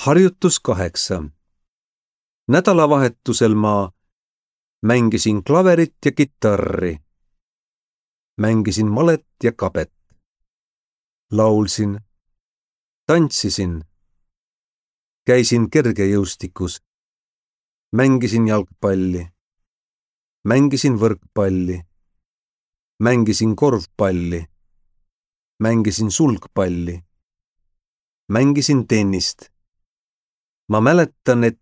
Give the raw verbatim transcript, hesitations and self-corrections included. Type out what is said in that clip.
Harjutus kaheksa. Nädalavahetusel ma mängisin klaverit ja kitarri. Mängisin malet ja kabet. Laulsin. Tantsisin. Käisin kergejõustikus. Mängisin jalgpalli. Mängisin võrkpalli. Mängisin korvpalli. Mängisin sulgpalli. Mängisin tennist. Ma mäletan, et